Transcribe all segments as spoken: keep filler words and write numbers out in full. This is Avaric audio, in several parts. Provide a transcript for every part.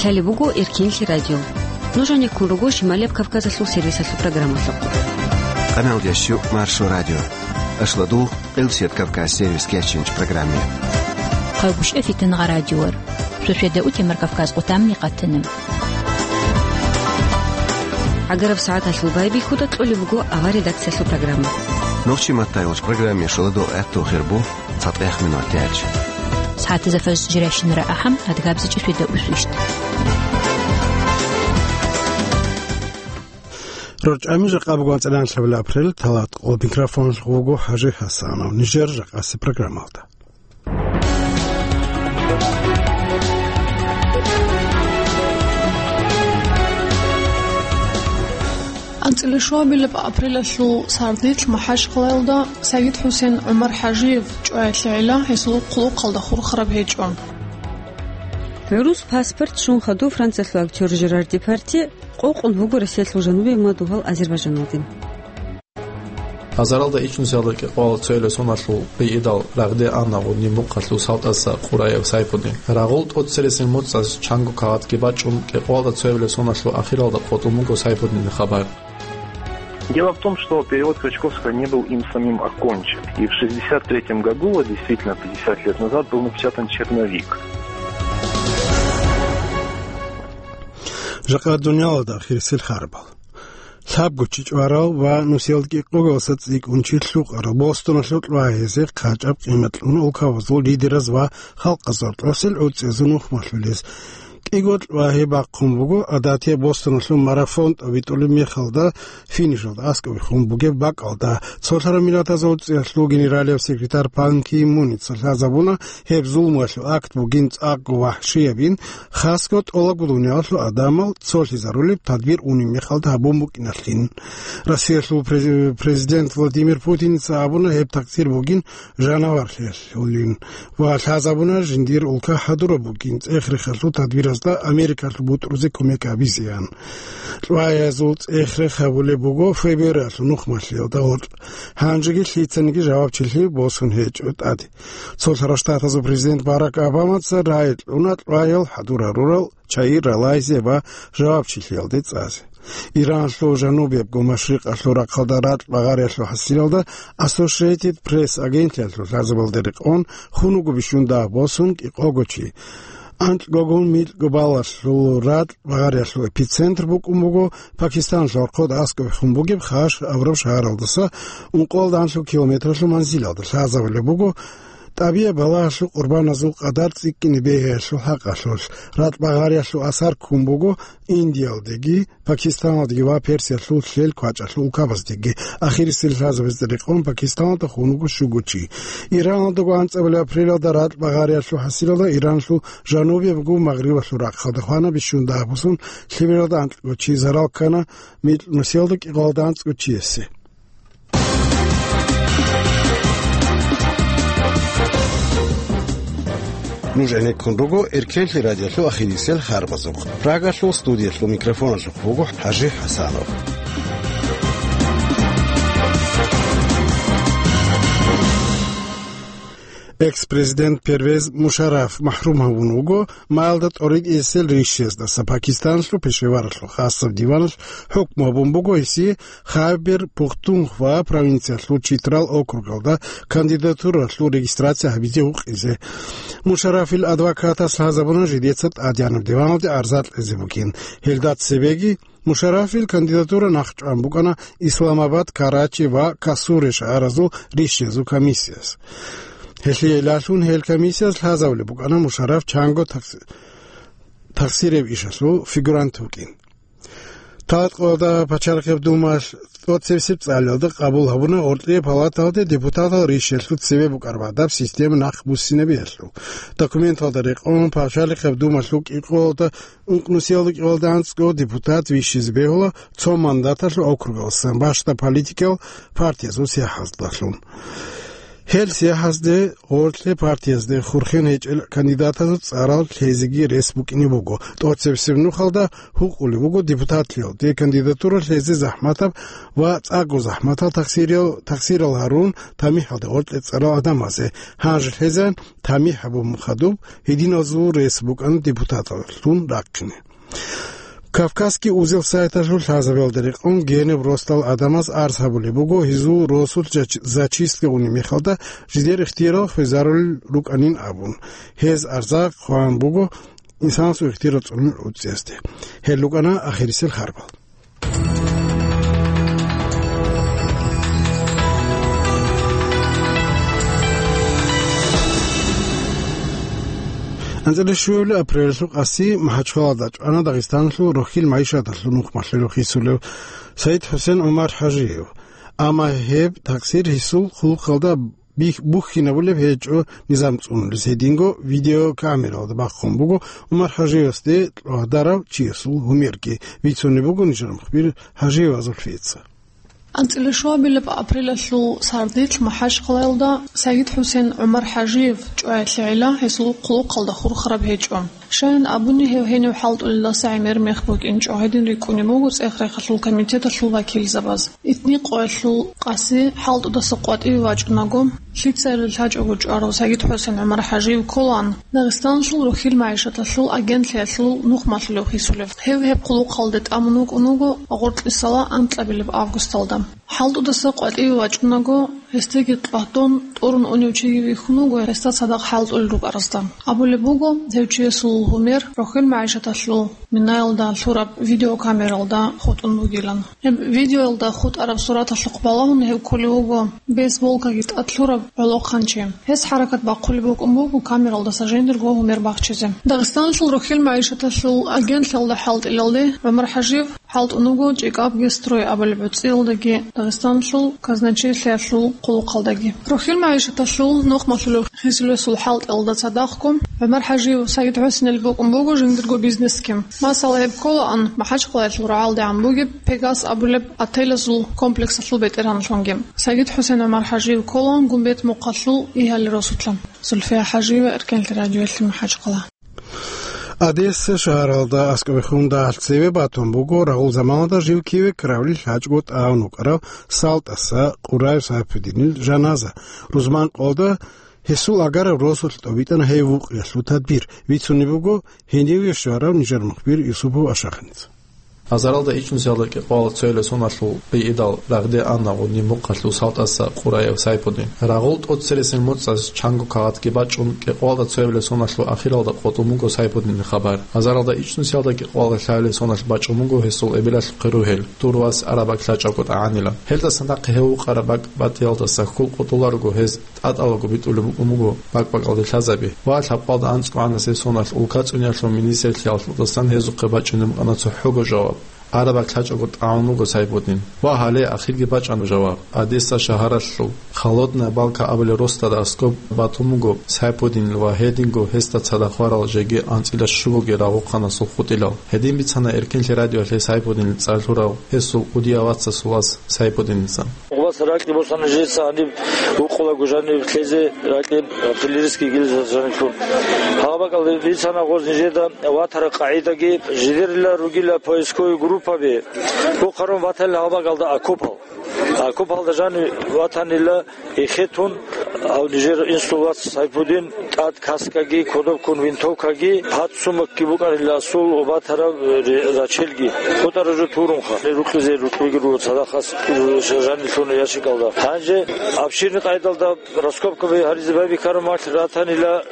Гьале буго Эркенлъи радио. Нуж гьанеккун руго Шималияб Кавказалъул сервисалъул программалъухъ. Къаналдеш Маршо радио. Ашладул Къилсият Кавказ сервис кечинч программе. Хъайгъушев Фитнагъа радиор. Шошеда утемар Кавказ къутамни къатана. ГӀагараб сагӀаталъул байбихьуда кьолеб буго авар редакциялъул программа. Нохчи маттайолч программе шаладо гӀатту хирбу. ЦатӀех минут яч. СагӀатазда фажр жирайщинара ахӀам, адгабзичӀеб шведа усвищт. РорчӀами жакъа буго анцӀила анлъабилеб апрель, талат къо микрофонлъ вуго ХӀажи ХӀасанов. Нижер жакъаси программалда. АнцӀила шуабилеб апрелалъул сардилъ МахӀачкъалаялда Сагид-ХӀусен ГӀумар-ХӀажиев чӀваялъегӀила гьесул хъулухъалда хурхараб гьечӀо. ГӀурус паспорт щун хадув Франциялъул актер Жерар Депардье къокъун вуго Россиялъул жанубе ва дугьал Азербайджаналде. Азаралда ичӀнусиялда кӀикъоялда цоябилеб соналъул гӀидал рагъде ана гъудни мухъалъул салтӀасда Къураев Сайпудин. Рагъул тӀоцересел муцӀаз чанго кагъатги бачӀун, кӀикъоялда цоябилеб соналъул ахиралда къотӀун буго Сайпудинил хабар. Дело в том, что перевод Крачковского не был им самим окончен. И в шестьдесят третьем году, вот действительно пятьдесят лет назад, был напечатан черновик. Жакъа дуниялалда ахирисел харбал. Лъабго чи чӀварал ва нусиялда кӀикъоялдаса цӀикӀкӀун чи лъукъарал Бостоналъул лъугьа-гьезие къачӀаб къимат кьуна улкабазул лидераз ва халкъазул тӀоцел гӀуцӀиязул нухмалъулез. КӀиго лъугьа-гьезие бахъун буго гӀадатияб Бостоналъул марафон тӀобитӀулеб мехалда финишалда аскӀове хун бугеб бакӀалда. Цолъараб Миллатазул ГӀуцӀиялъул генералияб секретарь Пан Ги Муница лъазабуна гьеб зулмуялъул акт бугин цӀакъго вахӀшиябин, хасго тӀолабго дуниялалъул гӀадамал цолъизарулеб тадбир унеб мехалда гьабун букӀиналъин. Россиялъул през-, президент Владимир Путиница абуна гьеб такъдир бугин жанаварлъиялъулин ва лъазабуна жиндир улка хӀадураб бугин цӀех-рехалъул тадбиразда Америкалъул бутӀрузе кумек гьабизеян. Лъугьа-гьезул цӀех-рех гьабулеб буго ФБР-алъул нухмалъиялда гъоркь. Гьанжеги лъицаниги жавабчилъи босун гьечӀо тӀаде. Цолъараб Штатазул президент Барак Обамаца рагӀи кьуна лъугьаял хӀадур гьарурал чагӀи ралайзе ва жавабчилъиялде цӀазе. Иранлъул жанубиябго машрикъалъул рахъалда ракь багъариялъул хӀасилалда Associated Press агентлъиялъул лъазабалде рекъон хун вуго бищун дагь босун кӀикъого чи. Анкьгогун микьго балалъул ракь багъариялъул эпицентр букӀун буго Пакистаналъул гӀорхъода аскӀове хун бугеб Хаш абураб шагьаралдаса ункъоялда анлъго километралъул манзилалда. Лъазабулеб буго ТӀабигӀат балагьалъул къурбаназул къадар цӀикӀкӀине бегьиялъул хӀакъалъулъ, ракь багъариялъул асар ккун буго Индиялдеги, Пакистаналдеги ва Персиялъул лъел квачӀалъул улкабаздеги. Ахирисел лъазабазда рекъон Пакистаналда хун вуго щуго чи. Иранлъулго анцӀабилеб апрелалда ракь багъариялъул хӀасилалда Иранлъул жанубиябго магърибалъул рахъалда хвана бищун дагь босун лъимералда анкьго чи, зарал ккана микьнусиялда кӀикъоялда анцӀго чиясе. Нуж гӀенеккун руго Эркенлъи радиолъул ахирисел харбазухъ. Прагалъул студиялъул микрофоналъухъ вуго ХӀажи ХӀасанов. Экс-президент Первез Мушарраф махрум гьавун вуго маялда тӀоритӀисел рищездаса. Пакистаналъул Пешеваралъул хасаб диваналъ хӀукму гьабун буго гьесие Хайбер Пухтунхва провинциялъул Читрал округалда кандидатуралъул регистрация гьабизе гьукъизе. Мушаррафил адвокатас лъазабуна жидеца тӀадегӀанаб диваналде арза кьезе бугин. Гьелда цебеги Мушаррафил кандидатура нахъчӀван букӀана Исламабад, Карачи ва Касуре шагьаразул рищезул комиссияс. Гьелъие лъалъун гьел комиссияс лъазабулеб букӀана Мушарраф чанго такъс-, такъсиреб ишалъул фигурант вукӀин. Талат къоялда пачалихъеб думалъ тӀоцебесеб цӀалиялда къабул гьабуна гъоркье палаталде депутатал рищелъул цебе букӀараб гӀадаб система нахъ буссинабиялъул. Документалда рекъон пачалихъеб думалъул кӀикъоялда ункънусиялда кӀикъоялда анцӀго депутат вищизе бегьула цо мандаталъул округаласан бащда политикал партиязул сахлъаздалъун. Гьел сияхӀазде гъорлъе партиязде хурхен гьечӀел кандидатазул цӀарал лъезеги рес букӀине буго. ТӀоцебесеб нухалда гьукъулеб буго депутатлъиялде кандидатура лъезе захӀматаб ва цӀакъго захӀматал тахсириял, тахсирал гьарун тамихӀалде гъоркье цӀарал гӀадамазе. Гьанже лъезегӀан тамихӀ гьабун хадуб гьединазул рес букӀана депутаталлъун рахъине. Кавказский узел сайталъул лъазабиялда рекъон генаб росдал гӀадамаз арз гьабулеб буго, гьезул росулъ зач-, зачистка унеб мехалда жидер ихтияр хвезарулел рукӀанин абун. Гьез арза хъван буго инсанасул ихтияр цӀунун уцӀцӀиязде. Гьел рукӀана ахирисел харбал. АнцӀила щуабилеб апрелалъул къаси МахӀачхъалада чӀвана Дагъистаналъул рохьил магӀишаталъул нухмалъулев хисулев Саид-ХӀусен ГӀумар ХӀажиев. Амма гьеб такъсир гьесул хъулухъалда бих-, бухьинабулеб гьечӀо низам цӀунулес. Гьединго видеокамералда бахъун буго ГӀумар ХӀажиевасде лъугьарав чиясул гьумерги. Бицунеб буго нижер мухбир ХӀажиева Зульфица. АнцӀила щуабилеб апрелалъул сардилъ МахӀачхъалаялда Саид-ХӀусен ГӀумар ХӀажиев чӀваялъегӀила гьесул хъулухъалда хурхараб гьечӀо. Щайин абуни, гьев гьенив хӀалтӀулелдаса гӀемер мех букӀинчӀо, гьедин рикӀкӀунеб буго цӀех-рехалъул комитеталъул вакилзабаз. Итни къоялъул къаси хӀалтӀудаса къватӀиве вачӀунаго, лъицайилан лъачӀого чӀварав Саид-ХӀусен ГӀумар ХӀажиев кколаан Дагъистаналъул рохьил магӀишаталъул агентлъиялъул нухмалъулев хисулев. Гьев гьеб хъулухъалде тӀамун вукӀун вуго гъоркьисала анкьабилеб августалда. ХӀалтӀудаса къватӀиве вачӀунаго, гьесдаги къватӀун тӀурун унев чиги вихьун вуго гьесда цадахъ хӀалтӀулел рукӀаразда. Абулеб буго, гьев чиясул гьумер рохьил магӀишаталъул минаялда лъураб видеокамералда хутӀун бугилан. Гьеб видеоялда хутӀараб сураталъухъ балагьун гьев кколев вуго бейсболкаги тӀад лъурав гӀолохъанчи. Гьес хӀаракат бахъулеб букӀун буго камералдаса жиндирго гьумер бахчизе. Дагъистаналъул рохьил магӀишаталъул агентлъиялда хӀалтӀилалде ГӀумар ХӀажиев хӀалтӀун вуго ЧӀикӀабги строй абулеб гӀуцӀиялдаги Дагъистаналъул казначейлъиялъул хъулухъалдаги. Рохьил магӀишаталъул нухмалъулев хисулесул хӀалтӀиялда цадахъго ГӀумар ХӀажиев Саид-ХӀусенил букӀун буго жиндирго бизнесги. Масала, гьеб кколаан МахӀачхъалаялъул рагӀалдегӀан бугеб Пегас абулеб отелазул комплексалъул бетӀергьанлъунги. Саид-ХӀусен ГӀумар ХӀажиев кколаан Гумбет-Мухъалъул Игьали росулъа. Зульфия ХӀажиева, Эркенлъи радиоялъе, МахӀачхъала. Одесса шагьаралда аскӀобехун дагьалъ цеве батун буго рагъул заманалда жив киве ккаравлил лъачӀого тӀагӀун вукӀарав СалтӀаса Къураев Сайпудинил жаназа. Рузманкъоялда гьесул агараб росулъ тӀобитӀана гьев вукъиялъул тадбир. Бицунеб буго гьениве щварав нижер мухбир Юсупов Ашаханица. Азаралда ичӀнусиялда кӀикъоялда цоябилеб соналъул гӀидал рагъде ана Гъудин-Мухъалъул СалтӀаса Къураев Сайпудин. Рагъул тӀоцересел моцӀалъ чанго кагъатги бачӀун, кӀикъоялда цоябилеб соналъул ахиралда къотӀун буго Сайпудинил хабар. Азаралда ичӀнусиялда кӀикъоялда лъабабилеб соналъ бачӀун буго гьесул эбелалъухъе ругьел, дур вас араб бакӀ лъачӀого тӀагӀанила. Гьелдасан нахъе гьев вукъараб бакӀ батӀиялдаса хьул къотӀуларого гьез тӀатӀалаго битӀулеб букӀун буго бакӀ-бакӀалде лъазаби ва лъабкъоялда анцӀго гӀанасеб соналъ улкацӀуниялъул министрлъиялдасан гьезухъе бачӀунеб букӀана цохӀого жаваб. Араб бакӀ лъачӀого тӀагӀун вуго Сайпудин. Ва гьале ахирги бачӀана жаваб. Одесса шагьаралъул Холодная Балка абулеб росдада аскӀоб батун буго Сайпудинил ва гьединго гьесда цадахъ варал жеги анцӀила щугоги рагъухъанасул хутӀилал. Гьедин бицана Эркенлъи радиоялъе Сайпудинил цӀар лъурав гьесул кӀудияв вацасул вас Сайпудиница. Гъубаз ракьи босана жеца гьаниб вукъулаго жаниб лъезе ракьи артиллерийский гильза жаниблъун. Гьаб бакӀалде бицана гъоз нижеда ватараб къагӀидаги, жидерила ругила поисковый группаби. Бухъарун ватанила гьаб бакӀалда окопал. Окопалда жани ватанила эхетун, гьав нижер инсул вац Сайпудин тӀад каскаги, кодоб ккун винтовкаги, гьад сумокги букӀанила асул ва батараб ре-, рачелги. КъотӀара жо турунха, рукъизе рукъиги руго цадахъас жанилъуна ящикалда. Гьанже обширный къайдалда раскопкаби гьаризе байбихьараб мехалъ ратанила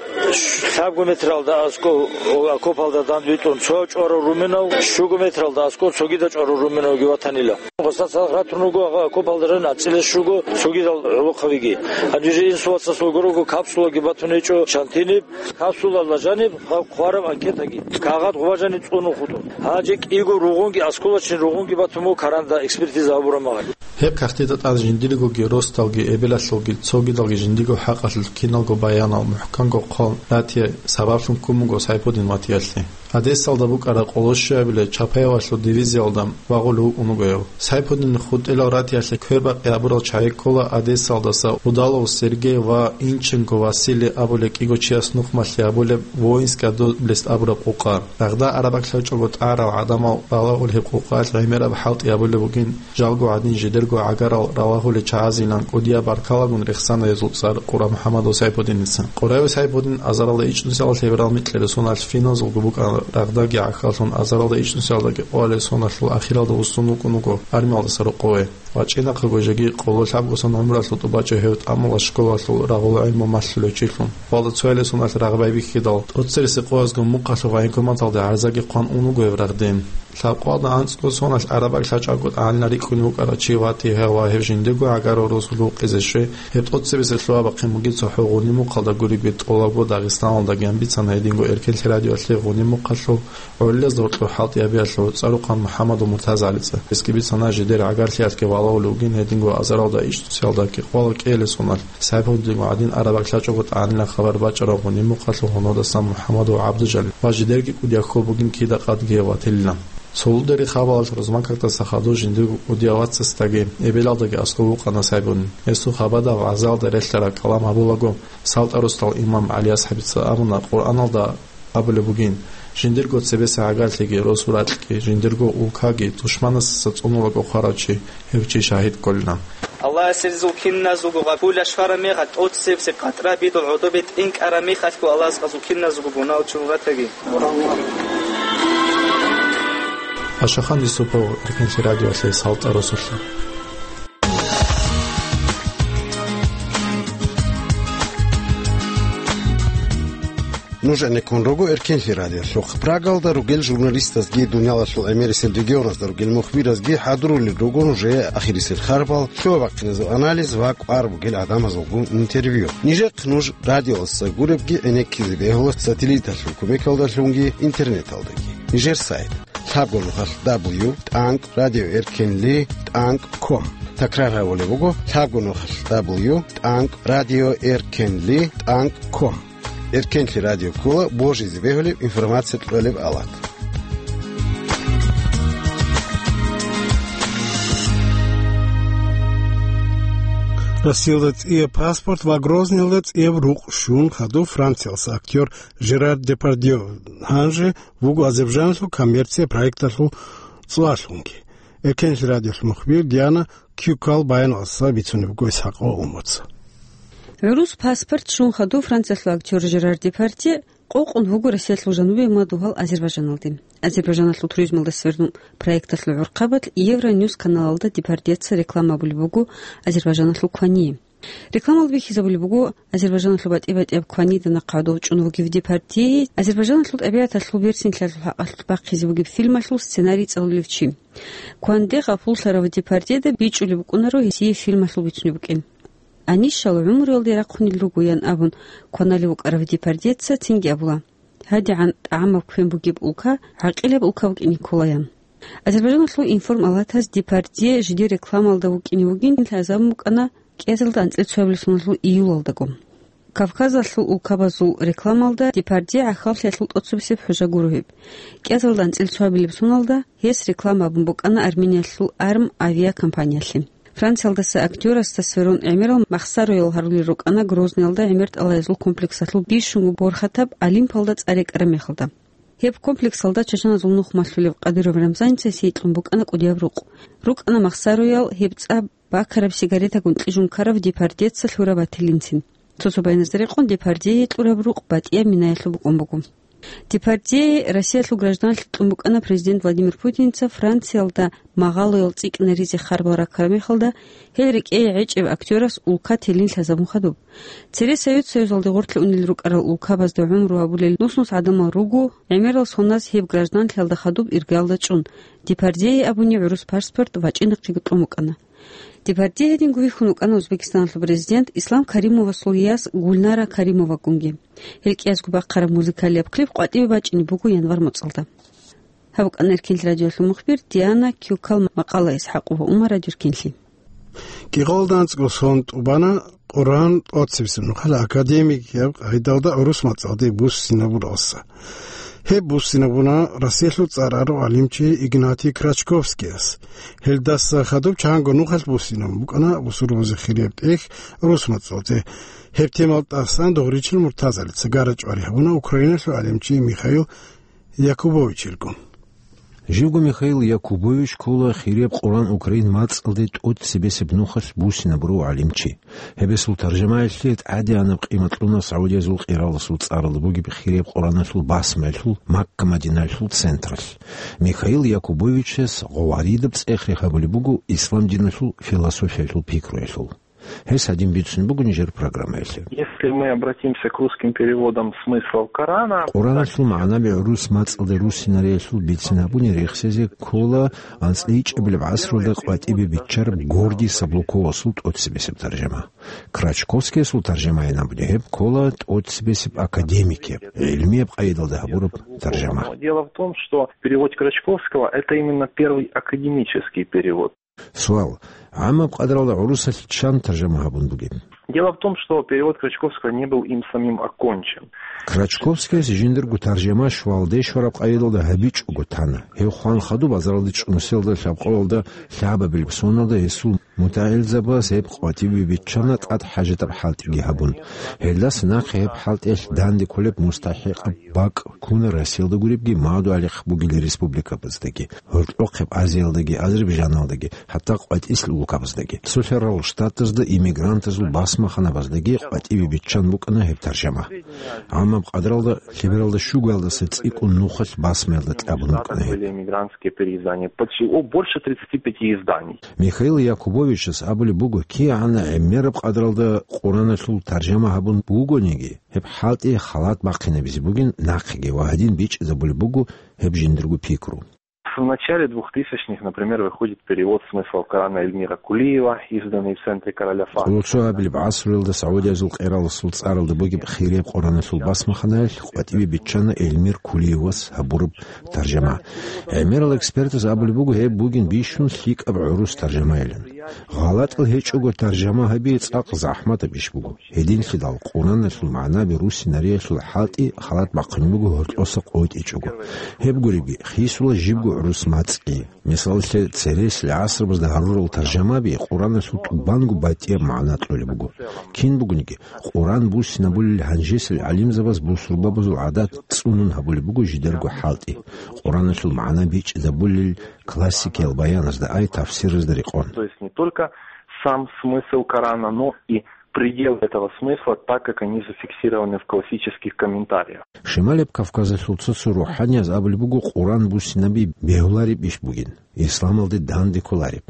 лъабго метралда аскӀов окопалда данде витӀун цо чӀварав руменав, щуго метралда аскӀов цогидал чӀварав руменавги ватанила. Гъоса цадахъ ратун руго окопалда жан анцӀила щуго цогидал гӀолохъабиги. Гьанже инсул вацасул гурого капсулаги батун гьечӀо шантиниб, капсулалда жаниб гьаб хъвараб анкетаги. Кагъат гъуба жаниб цӀунун хутӀун. Гьанже кӀиго ругъунги, осколочный ругъунги батун буго каранда экспертиза гьабураб мехалъ. Гьеб кагътида тӀад жиндиргоги росдалги эбелалъулги цогидалги жиндиго хӀакъалъулъ киналго баянал мухӀканго хъван ратизе сабаблъун ккун буго Сайпудин ватиялъе. Одессалда букӀараб къоло щуабилеб Чапаевалъул дивизиялда вагъулев вукӀун вуго гьев. Сайпудин хутӀилал ратиялъе квербакъи гьабурал чагӀи ккола Одессалдаса Удалов Сергей ва Инченко Василий абулеб кӀиго чияс нухмалъи гьабулеб Воинская доблесть абураб къукъа. Рагъда араб бакӀ лъачӀого тӀагӀарал гӀадамал балагьул гьеб къукъаялъ гӀемераб хӀалтӀи гьабулеб бугин, жалго гӀадин жидерго гӀагарал ралагьулел чагӀазилан кӀудияб баркалагун рехсана гьезул цӀар Къура МухӀаммадов Сайпудиница. Къураев Сайпудин азаралда ичӀнусиялда лъеберал микьилеб соналъ финазулго букӀана, рагъдаги гӀахьаллъун азаралда ичӀнусиялдаги къоялеб соналъул ахиралда вуссун вукӀун вуго армиялдаса рокъове. ВачӀинахъего жеги къоло лъабго сон гӀумралъул тӀубачӀо гьев тӀамула школалъул рагъула гӀилму малъулев чилъун. Хвалда цоялесуналъ рагъ байбихьидал, тӀоцебесеб къоязго мухъалъув военкоматалде гӀарзаги хъван ун вуго гьев рагъдин. Лъабкъоялда анцӀго соналъ араб бакӀ лъачӀого тӀагӀалин рикӀкӀунев вукӀарав чи ватигьа ва гьев жиндего гӀагарал росулъ вукъизе щвей, гьеб тӀоцебесеб лъугьа-бахъин бугеб цохӀо гъуни мухъалда гуребги тӀолабго Дагъистаналдагиян бицана гьединго Эркен лъи радиоялъе гъуни мухъалъул гӀолилазда гьоркьор хӀалтӀи гьабиялъе гӀуцӀарухъан МухӀаммадов МуртазагӀалица. Гьесги бицана жидер гӀагарлъиялъги валагьулев вугин гьединго азаралда ичӀнусиялдаги къвала кӀиялесуналъ, Сайпудинго гӀадин араб бакӀ лъачӀого тӀагӀанилан хабар бачӀарав гъуни мухъалъул гьунодасан МухӀаммадов ГӀабдужалил ва жидерги кӀудияб хьул бугин кида къадги гьев ватилилан. Цо улдери хабалалъ Розмаковтаса хадув жиндирго кӀудияв вацасдаги эбелалдаги аскӀов вукъана Сайпудин. Гьесул хабада вагӀзаялда релълъараб калам гьабулаго, СалтӀа росдал имам ГӀалиасхӀабица абуна, Къуръаналда абулеб бугин: «Жиндирго цебесеб гӀагарлъиги, росу-ракьги, жиндирго улкаги душманасдаса цӀунулаго хварав чи, гьев чи шагьид кколилан». Аллагьас гьезул киназулго гъабулалъ щвараб мехалъ тӀоцебесеб къатӀра бидул гӀодобе тӀинкӀараб мехалъго Аллагьас гъазул киназулго гунагьал чурун ратаги. Ашахан Юсупов, Эркен лъи радиоялъе, СалтӀа росулъа. Нуж гӀенеккун руго Эркен лъи радиолъухъ. Прагалда ругел журналистазги, дуниялалъул гӀемерисел регионазда ругел мухбиразги хӀадурулел руго нужее ахирисел харбал, лъугьа-бахъиназул анализ ва кӀвар бугел гӀадамазулгун интервью. Нижехъ нуж радиоялдаса гуребги гӀенеккизе бегьула сателлиталъул кумекалдалъунги интернеталдаги. Нижер сайт: лъабго нухалъ дабл ю тӀанкӀ радио эркен ли тӀанкӀ ком. Такрар гьабулеб буго: лъабго нухалъ дабл ю тӀанкӀ радио эркен ли тӀанкӀ ком. Эркен лъи радио ккола божизе бегьулеб, информация кьолеб алат. Россиялда цӀияб паспорт ва Грозныйалда цӀияб рукъ щун хадуб Франциялдаса актер Жерар Депардье. Гьанже вуго Азербайджаналъул коммерция проекталъул цӀуялъунги. Эркен лъи радиолъул мухбир Диана Кюкал баяналдаса бицунеб буго ИсхӀакъ Умуца. ГӀурус паспорт щун хадуб Франциялъул актер Жерар Депардье къокъун вуго Россиялъул жанубе ва дугьал Азербайджаналде. Азербайджаналъул туризмалдаса сверун проекталъул гӀурхъабазда Евроньюс каналалда Депардьеца реклама абулеб буго Азербайджаналъул квание. Рекламалда бихьизабулеб буго Азербайджаналъул батӀи-батӀияб кванида нахъа гӀодов чӀун вугев Депардье, Азербайджаналъул тӀабигӀаталъул берцинлъиялъул хӀакъалъулъ бахъизе бугеб фильмалъул сценарий цӀалулев чи. Кванде гъапуллъарав Депардьеда бичӀчӀулеб букӀунаро гьесие фильмалъул бицунеб букӀин. Анищал гӀумруялде рахъунел руго, ян абун, кваналев вукӀарав Депардьеца цинги абула: «ГьадигӀан тӀагӀамаб квен бугеб улка гӀакъилаб улка букӀине ккола», – ян. Азербайджаналъул информалатаз Депардье жидер рекламалда вукӀине вугин лъазабун букӀана кӀиазалда анцӀила цоабилеб соналъул июлалдаго. Кавказалъул улкабазул рекламалда Депардье гӀахьаллъиялъул тӀоцебесеб хӀужа гуро гьеб. КӀиазалда анцӀила цоабилеб соналда гьес реклама абун букӀана Армениялъул Арм авиакомпаниялъе. Франциялдаса актерасда сверун гӀемерал махсароял гьарулел рукӀана Грозныйалда гӀемер тӀалаязул комплексалъул бищунго борхатаб Олимпалда цӀар рекӀараб мехалда. Гьеб комплексалда чачаназул нух малъулев Кадыров Рамзаница сийикьун букӀана кӀудияб рукъ. РукӀана махсароял, гьеб цӀа бакараб сигаретагун кьижун ккарав Депардьеца лъураб батилинцин. Цо-цо байназда рекъон Депардьее кьураб рукъ батӀияб минаялъул букӀун буго. Депардье Россиялъул гражданлъи кьун букӀана президент Владимир Путинца Франциялда магъалоял цӀикӀкӀина ризе харбал раккараб мехалда, гьел рекӀее гӀечӀеб актерас улка телин лъазабун хадуб. Цере Совет Союзалде гъорлъе унел рукӀарал улкабазда гӀумру гьабулел нус-нус гӀадамал руго, гӀемерал соназ гьеб гражданлъиялда хадуб иргаялда чӀун, Депардьее абуни гӀурус паспорт вачӀинахъего кьун букӀана. Депардье гьединго вихьун вукӀана Узбекистаналъул президент Ислам Каримовасул яс Гульнара Каримовагунги. Гьел кӀиязго бахъараб музыкалияб клип къватӀиве бачӀине буго январь моцӀалда. Гьаб букӀана Эркен радиолъул мухбир Диана Кюкал макъала, ИсхӀакъова Умар, радио Эркенлъи. КӀикъоялда анцӀго сон тӀубана Къуръан тӀоцебесеб нухалъ академикияб къагӀидалда гӀурус мацӀалде буссинабуралса. Гьеб буссинабуна Россиялъул цӀар арав гӀалимчи Игнатий Крачковскияс. Гьелдаса хадуб чанго нухалъ буссинабун букӀана бусурбабазе хирияб тӀехь рус мацӀалде. Гьеб темал тӀасан Дугъричил Муртазалица гара-чӀвари гьабуна Украиналъул гӀалимчи Михаил Якубовичилгун. Живго Михаил Якубович ккола хирияб Къуран Украин мацӀалде тӀоцебесеб нухалъ буссинабурав гӀалимчи. Гьебесул таржамаялъе тӀадегӀанаб къимат кьуна Саудиязул къираласул цӀаралда бугеб хирияб Къураналъул басмаялъул Макка-Мадинаялъул централъ. Михаил Якубовичас гъоваридаб цӀех рехабулеб буго ислам диналъул философиялъул пикруялъул. Гьес гьадин бицун буго нижер программаялъе. Если мы обратимся к русским переводам смыслов Корана, Къураналъул магӀнаби гӀурус мацӀалда руссинариялъул бицин гьабуни рехсезе ккола анцӀлъийчӀебилеб гӀасралда къватӀибе биччараб Гордий Саблуковасул тӀоцебесеб таржама. Крачковскиясул таржамайин абуни гьеб ккола тӀоцебесеб академикияб, гӀилмияб къайдалда гьабураб таржама. Дело в том, что перевод Крачковского — это именно первый академический перевод. Суал. ГӀаммаб къадралда гӀурусалъ чан таржама гьабун бугеб? Дело в том, что перевод Крачковского не был им самим окончен. Крачковскияс жиндирго таржама щвалде щвараб къайдалда гьабичӀого тана. Гьев хван хадуб азаралде чӀунусиялда лъабкъоялда лъабабилеб соналда гьесул мутагӀилзабаз гьеб къватӀибе биччана тӀад хӀажатаб хӀалтӀиги гьабун. Гьелдаса нахъе гьеб хӀалтӀиялъ данде кколеб мустахӀикъаб бакӀ ккуна Россиялда гуребги, Мадугьалихъ бугел республикабаздаги, гьоркьохъеб Азиялдаги, Азербайжаналдаги, хӀатта къватӀислъи улкабаздаги. Цолъарал Штатазда иммигрантазул басмаханабаздаги къватӀибе биччан букӀана гьеб таржама. ГӀаммаб къадралда лъебералда щугоялдаса цӀикӀкӀун нухалъ басмаялда кьабун букӀана гьеб. Были эмигрантские переиздания. Почти, о, больше тридцати пяти изданий. Михаил Якубовичас абулеб буго, кигӀан гӀемераб къадралда Къураналъул таржама гьабун бугониги, гьеб хӀалтӀи халат бахъинабизе бугин нахъеги ва гьадин бичӀчӀизабулеб буго гьеб жиндирго пикру. В начале двухтысячных, например, выходит перевод смыслов Корана Эльмира Кулиева, изданный в центре Короля Фахда. Цо гьабилеб гӀасруялда Саудиязул къираласул цӀаралда бугеб хирияб Къураналъул басмаханаялъ къватӀибе биччана Эльмир Кулиевас гьабураб таржама. ГӀемерал экспертаз абулеб буго, гьеб бугин бищун лъикӀаб гӀурус таржамайилан. ГъалатӀал гьечӀого таржама гьаби цӀакъ захӀматаб иш буго. Гьединлъидал Къураналъул магӀнаби руссинариялъул хӀалтӀи халат бахъин буго гьоркьоса къотӀичӀого. Гьеб гуребги, хисула жибго гӀурус мацӀги. Мисалалъе, цересел гӀасрабазда гьарурал таржамаби Къураналъул тӀубанго батӀияб магӀна кьолеб буго. Кин бугониги, Къуран буссинабулел гьанжесел гӀалимзабаз бусурбабазул гӀадат цӀунун гьабулеб буго жидерго хӀалтӀи. Къураналъул магӀна бичӀчӀизабулел классикиял баяназда ай тафсиразда рекъон. То есть не только сам смысл Корана, но и пределы этого смысла, так как они зафиксированы в классических комментариях. Шималеб Кавказалъул цо-цо рухӀанияз абулеб буго Къуран буссинаби бегьулареб иш бугин, исламалде данде кколареб.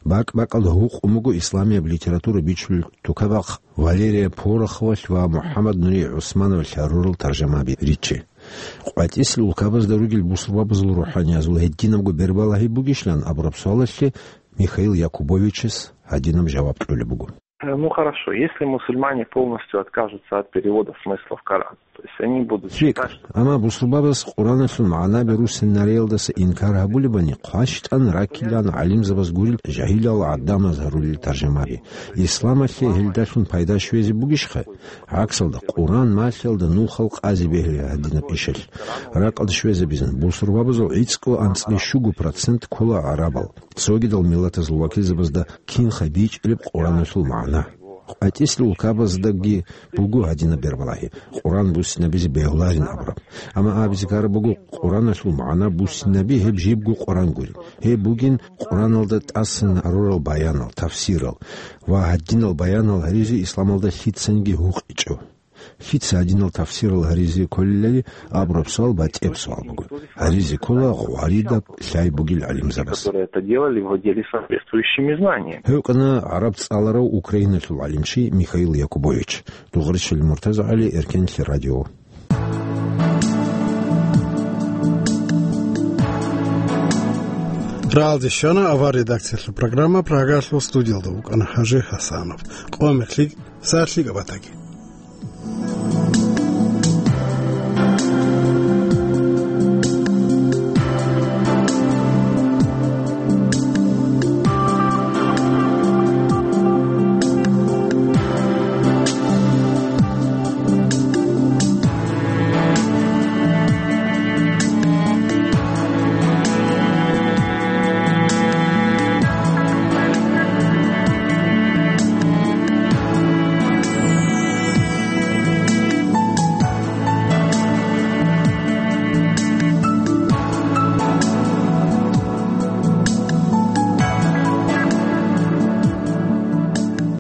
БакӀ-бакӀалда гьукъун буго исламияб литература бичулел тукабахъ Валерия Пороховалъ ва МухӀаммад Нури ГӀусмановалъ гьарурал таржамаби риччи. КъватӀислъи улкабазда ругел бусурбабазул рухӀаниязул гьединабго бербалагьи бугищилан абураб суалалъе Михаил Якубовичас гьадинаб жаваб кьолеб буго. Э, ну хорошо, если мусульмане полностью откажутся от перевода смыслов Корана, то есть они будут считать, что... Амма бусурбабаз Къураналъул магӀнаби руссинариялдаса инкар гьабулебани, хъващтӀан раккилан гӀалимзабаз гурел жагьилал гӀадамаз гьарулел таржамаби. Исламалъе гьелдалъун пайда щвезе бугищха? ГӀаксалда, Къуран малъиялда нухал къазе бегьила гьадинаб ишалъ. Ракъалда щвезабизан, бусурбабазул гӀицӀго анцӀила щуго процент ккола гӀарабал. Цогидал миллатазул вакилзабазда кинха бичӀчӀилеб Къураналъул магӀна. КъватӀислъи улкабаздаги буго гьадинаб бербалагьи, Къуран буссинабизе бегьуларин абураб. Амма абизе ккараб буго, Къураналъул магӀна буссинаби гьеб жибго Къуран гуреб. Гьеб бугин Къураналда тӀасан гьарурал баянал, тафсирал ва гьадинал баянал гьаризе исламалда лъицаниги гьукъичӀо. Лъица гьадинал тафсирал гьаризе кколелали абураб суал батӀияб суал буго. Гьаризе ккола гъваридаб лъай бугел гӀалимзабаз. Которые это делали, владели соответствующими знаниями. Гьев вукӀана гӀараб цӀаларав Украиналъул гӀалимчи Михаил Якубович. Дугъричил Муртазагьали, Эркенлъи радио. Рагьалде щвана авар редакциялъул программа, Прагалъул студиялда вукӀана Хажи Хасанов. Къо мехлъи, сагӀат лъикӀаб батаги.